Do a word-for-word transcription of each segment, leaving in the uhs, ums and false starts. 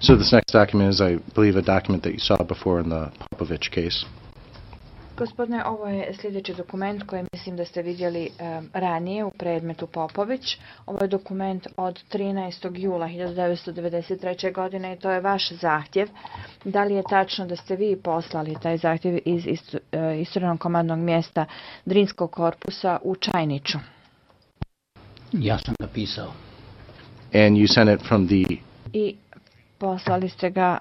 So this next document is, I believe, a document that you saw before in the Popovich case. Gospodine, ovo je sljedeći dokument koji mislim da ste vidjeli um, ranije u predmetu Popović. Ovo je dokument od trinaestog jula hiljadu devetsto devedeset treće. godine i to je vaš zahtjev. Da li je tačno da ste vi poslali taj zahtjev iz isto, uh, isturenog komandnog mjesta Drinskog korpusa u Čajniću? Ja sam ga pisao. And you sent it from the... I poslali ste ga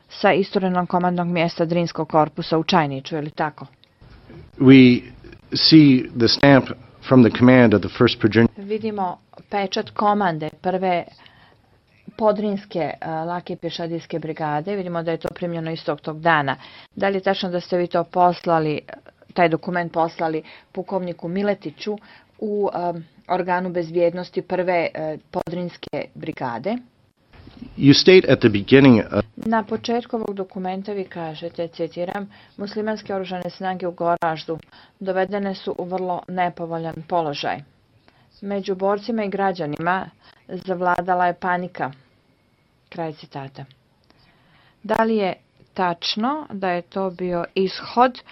sa isturenog komandnog mjesta Drinskog korpusa u Čajniću, je li tako? We see the stamp from the command of the first Virginia... Vidimo pečat komande prve podrinske uh, lake pješadijske brigade. Vidimo da je to primljeno istog tog dana. Da li je tačno da ste vi to poslali, taj dokument poslali pukovniku Miletiću u um, organu bezbjednosti prve uh, podrinske brigade? You state at the beginning of... Na početku ovog dokumenta vi kažete, citiram, muslimanske oružane snage u Goraždu dovedene su u vrlo nepovoljan položaj. Među borcima i građanima zavladala je panika. Kraj citata. Da li je tačno da je to bio ishod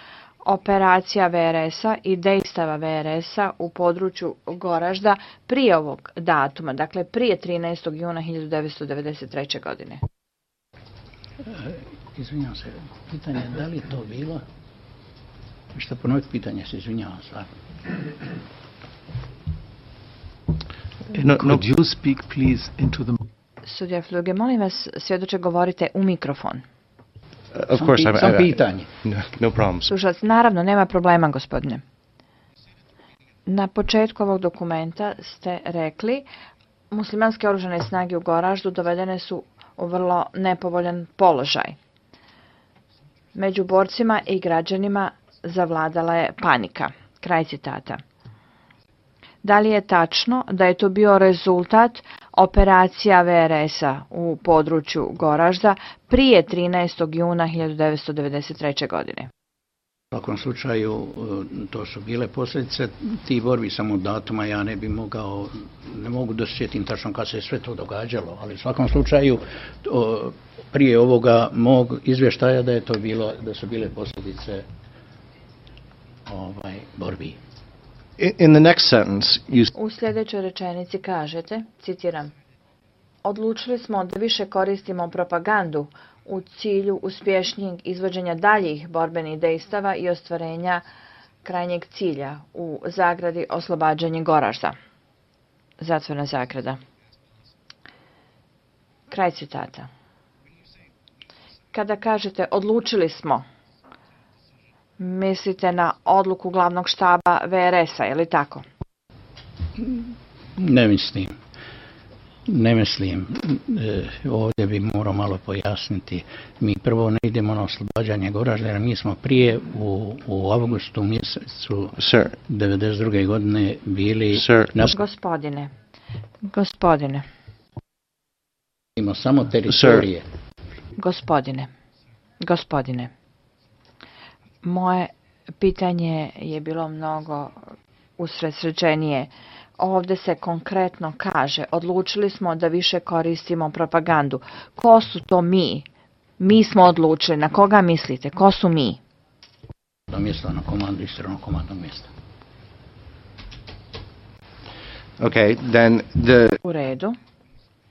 operacija V R S-a i dejstava V R S-a u području Goražda prije ovog datuma, dakle prije trinaestog juna hiljadu devetsto devedeset treće. godine? Izvinjavam se, pitanje je da li to bilo? Možete ponoviti pitanje, se izvinjavam se. No, could you speak please into the... Sudija Fluge, molim vas, svjedoče govorite u mikrofon. Uh, of course, sam, I, sam I, pitanje. No, no problem. Slušalac, naravno, nema problema, gospodine. Na početku ovog dokumenta ste rekli muslimanske oružane snage u Goraždu dovedene su u vrlo nepovoljan položaj. Među borcima i građanima zavladala je panika. Kraj citata. Da li je tačno da je to bio rezultat operacija V R S-a u području Goražda prije trinaestog juna hiljadu devetsto devedeset treće. godine? U svakom slučaju to su bile posljedice tih borbi, samo datuma ja ne bi mogao, ne mogu da se sjetim tačno kad se sve to događalo, ali u svakom slučaju to, prije ovoga mog izvještaja da je to bilo, da su bile posljedice ovaj, borbi. In the next sentence, you... U sljedećoj rečenici kažete, citiram, odlučili smo da više koristimo propagandu u cilju uspješnijeg izvođenja daljih borbenih dejstava i ostvarenja krajnjeg cilja u zagradi oslobađanje Goražda. Zatvorena zagrada. Kraj citata. Kada kažete odlučili smo, mislite na odluku glavnog štaba V R S-a, je li tako? Ne mislim. Ne mislim. E, ovdje bi morao malo pojasniti. Mi prvo ne idemo na oslobađanje Goražda, jer mi smo prije u, u avgustu mjesecu Sir. devedeset druge. godine bili... Sir. Na... Gospodine, gospodine. Imamo samo teritorije. Sir. Gospodine, gospodine. Moje pitanje je bilo mnogo usredsređenije. Ovdje se konkretno kaže, odlučili smo da više koristimo propagandu. Ko su to mi? Mi smo odlučili. Na koga mislite? Ko su mi? Na mjesto, na komandu, istranog komandnog mjesta. Okay, then the... U redu.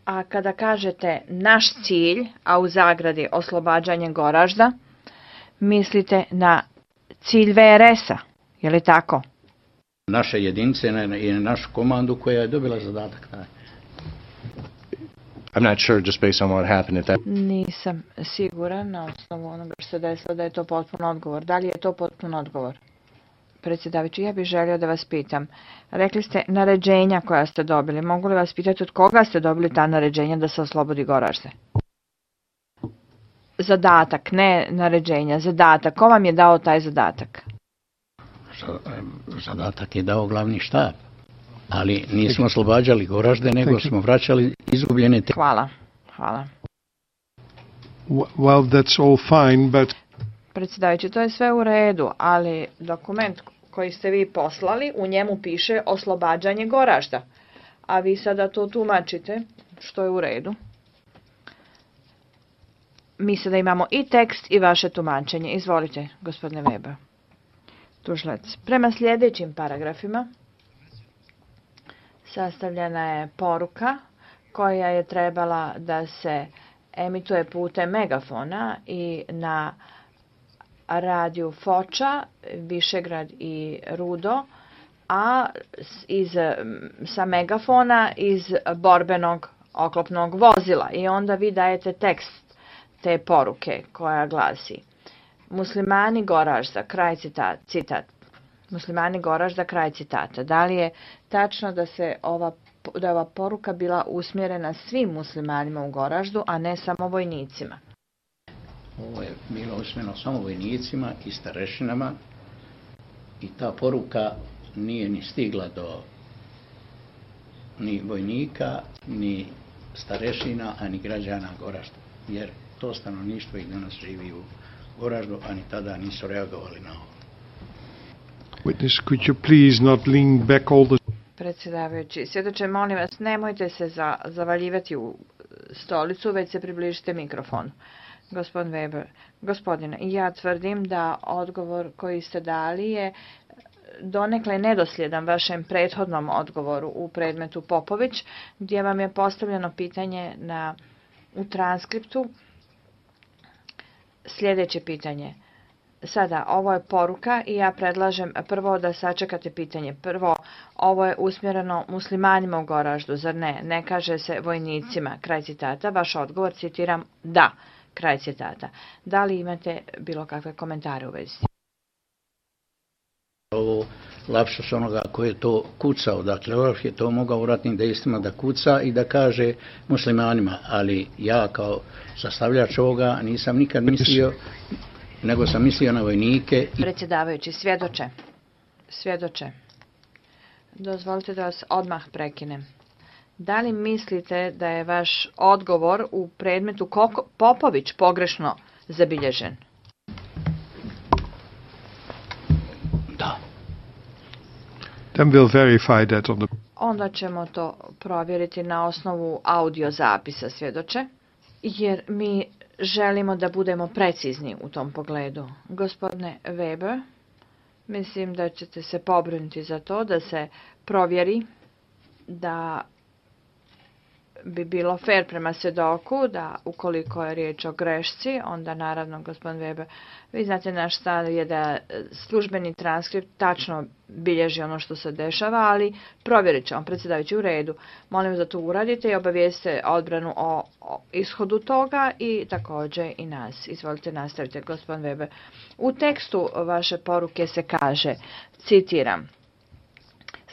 A kada kažete naš cilj, a u zagradi oslobađanje Goražda, mislite na cilj V R S-a, je li tako? Naše jedinice i našu komandu koja je dobila zadatak taj. I'm not sure, just based on what happened at that... Nisam siguran na osnovu onoga što se desilo da je to potpun odgovor. Da li je to potpun odgovor? Predsjedavajući, ja bih želio da vas pitam. Rekli ste naređenja koja ste dobili. Mogu li vas pitati od koga ste dobili ta naređenja da se oslobodi Goražde? Zadatak, ne naređenja, zadatak. Ko vam je dao taj zadatak? Zadatak je dao glavni štab. Ali nismo oslobađali Goražde, nego smo vraćali izgubljene... Te... Hvala, hvala. Well, that's all fine, but... Predsjedavajući, to je sve u redu, ali dokument koji ste vi poslali, u njemu piše oslobađanje Goražda. A vi sada to tumačite, što je u redu. mi sada imamo i tekst i vaše tumačenje. Izvolite, gospodine Weber. Tužilac. Prema sljedećim paragrafima sastavljena je poruka koja je trebala da se emituje putem megafona i na radiju Foča, Višegrad i Rudo, a iz, sa megafona iz borbenog oklopnog vozila. I onda vi dajete tekst te poruke koja glasi: Muslimani Goražda, kraj citat, citat. Muslimani Goražda, kraj citata. Da li je tačno da se ova, da je ova poruka bila usmjerena svim muslimanima u Goraždu, a ne samo vojnicima? Ovo je bilo usmjereno samo vojnicima i starešinama i ta poruka nije ni stigla do ni vojnika, ni starešina, a ni građana Goražda, jer to stanovništvo i danas živi u Goraždu, a ni tada nisu reagovali na ovo. Witness, could you please not lean back all the... Predsjedavajući, svjedoče, molim vas, nemojte se za, zavaljivati u stolicu, već se približite mikrofonu. Gospodin Weber, gospodine, ja tvrdim da odgovor koji ste dali je donekle nedosljedan vašem prethodnom odgovoru u predmetu Popović, gdje vam je postavljeno pitanje na, u transkriptu. Sljedeće pitanje. Sada, ovo je poruka i ja predlažem prvo da sačekate pitanje. Prvo, ovo je usmjereno muslimanima u Goraždu, zar ne? Ne kaže se vojnicima, kraj citata. Vaš odgovor, citiram, da, kraj citata. Da li imate bilo kakve komentare u vezi? Ovo lapsus onoga ko je to kucao, dakle Orlof je to mogao u ratnim dejstvima da kuca i da kaže muslimanima, ali ja kao sastavljač ovoga nisam nikad mislio, nego sam mislio na vojnike. Predsjedavajući, svjedoče, svjedoče, dozvolite da vas odmah prekinem. Da li mislite da je vaš odgovor u predmetu Koko, Popović pogrešno zabilježen? Da. Then we'll verify that on the... Onda ćemo to provjeriti na osnovu audio zapisa, svjedoče, jer mi želimo da budemo precizni u tom pogledu. Gospodine Weber, mislim da ćete se pobrinuti za to da se provjeri da bi bilo fair prema svjedoku, da ukoliko je riječ o grešci, onda naravno, gospodin Weber, vi znate naš stav je da službeni transkript tačno bilježi ono što se dešava, ali provjerit ćemo, predsjedavajući, u redu. Molim da to uradite i obavijeste odbranu o, o ishodu toga i također i nas. Izvolite, nastavite, gospodin Weber. U tekstu vaše poruke se kaže, citiram: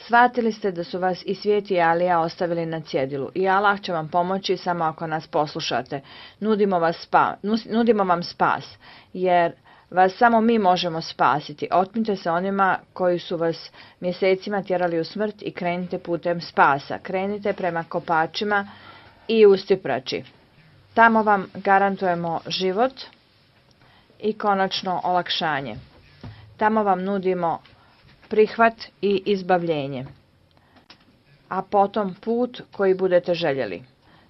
Shvatili ste da su vas i svijet i Alija ostavili na cjedilu i Allah će vam pomoći samo ako nas poslušate. Nudimo, vas spa, nudimo vam spas, jer vas samo mi možemo spasiti. Otmite se onima koji su vas mjesecima tjerali u smrt i krenite putem spasa. Krenite prema kopačima i ustiprači. Tamo vam garantujemo život i konačno olakšanje. Tamo vam nudimo prihvat i izbavljenje, a potom put koji budete željeli.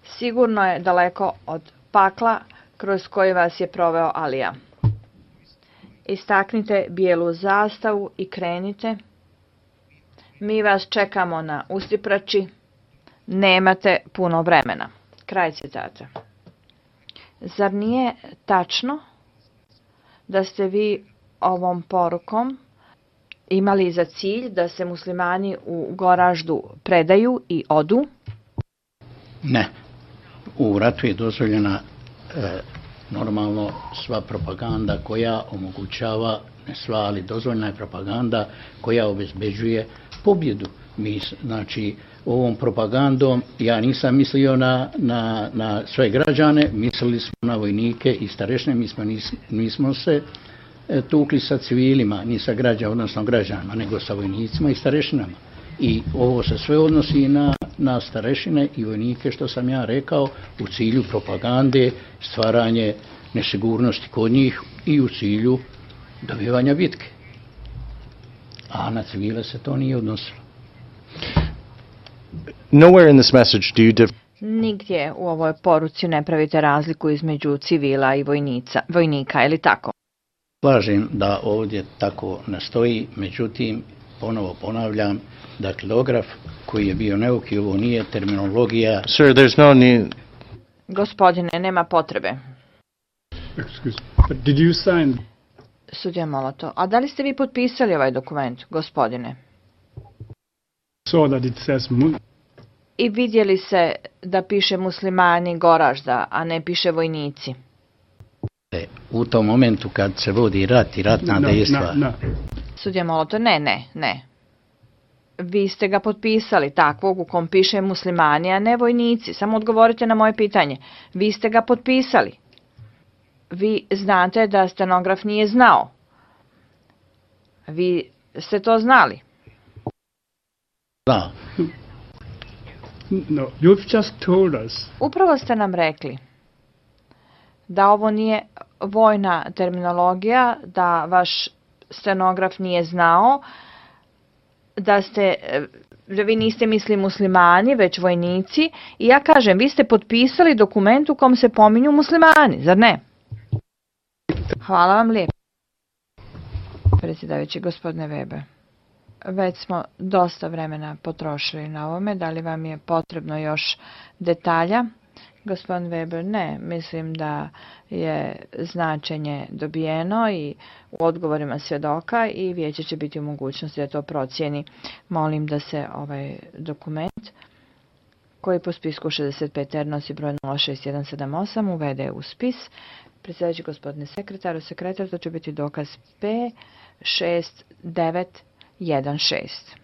Sigurno je daleko od pakla kroz koji vas je proveo Alija. Istaknite bijelu zastavu i krenite. Mi vas čekamo na ustiprači. Nemate puno vremena. Kraj citata. Zar nije tačno da ste vi ovom porukom imali za cilj da se muslimani u Goraždu predaju i odu? Ne. U ratu je dozvoljena e, normalno sva propaganda koja omogućava, ne sva, ali dozvoljena je propaganda koja obezbeđuje pobjedu. Mi, znači, ovom propagandom ja nisam mislio na, na, na sve građane, mislili smo na vojnike i starešine, mi smo, nis, nismo se tukli sa civilima, ni sa građanima, odnosno građanima, nego sa vojnicima i starešinama. I ovo se sve odnosi na, na starešine i vojnike, što sam ja rekao, u cilju propagande, stvaranje nesigurnosti kod njih i u cilju dobivanja bitke. A na civile se to nije odnosilo. Nowhere in this message do you dif- Nigdje u ovoj poruci ne pravite razliku između civila i vojnica, vojnika, je li tako? Slažem da ovdje tako ne stoji, međutim, ponovo ponavljam, da kilograf koji je bio neuki, ovo nije terminologija. Sir, there's no need. Gospodine, nema potrebe. Excuse, but did you sign? Sudija Moloto, a da li ste vi potpisali ovaj dokument, gospodine? Saw that it says mun. I vidjeli se da piše muslimani Goražda, a ne piše vojnici. U tom momentu kad se vodi rat i ratna No, dejstva, no, no. Sudija Moloto, ne, ne, ne. Vi ste ga potpisali takvog u kom piše muslimani, a ne vojnici. Samo odgovorite na moje pitanje. Vi ste ga potpisali. Vi znate da stenograf nije znao. Vi ste to znali. da, No, you've just told us. Upravo ste nam rekli da ovo nije vojna terminologija, da vaš stenograf nije znao, da ste, da vi niste misli muslimani, već vojnici. I ja kažem, vi ste potpisali dokument u kom se pominju muslimani, zar ne? Hvala vam lijepo. Predsjedavajući, gospodine Weber, već smo dosta vremena potrošili na ovome. Da li vam je potrebno još detalja? Gospodin Weber, ne. Mislim da je značenje dobijeno i u odgovorima svjedoka i vijeće će biti u mogućnosti da to procijeni. Molim da se ovaj dokument koji po spisku šezdeset pet R nosi broj nula šest jedan sedam osam uvede u spis. Predsjedavajući, gospodine sekretaru, sekretar, to će biti dokaz P šest devet jedan šest.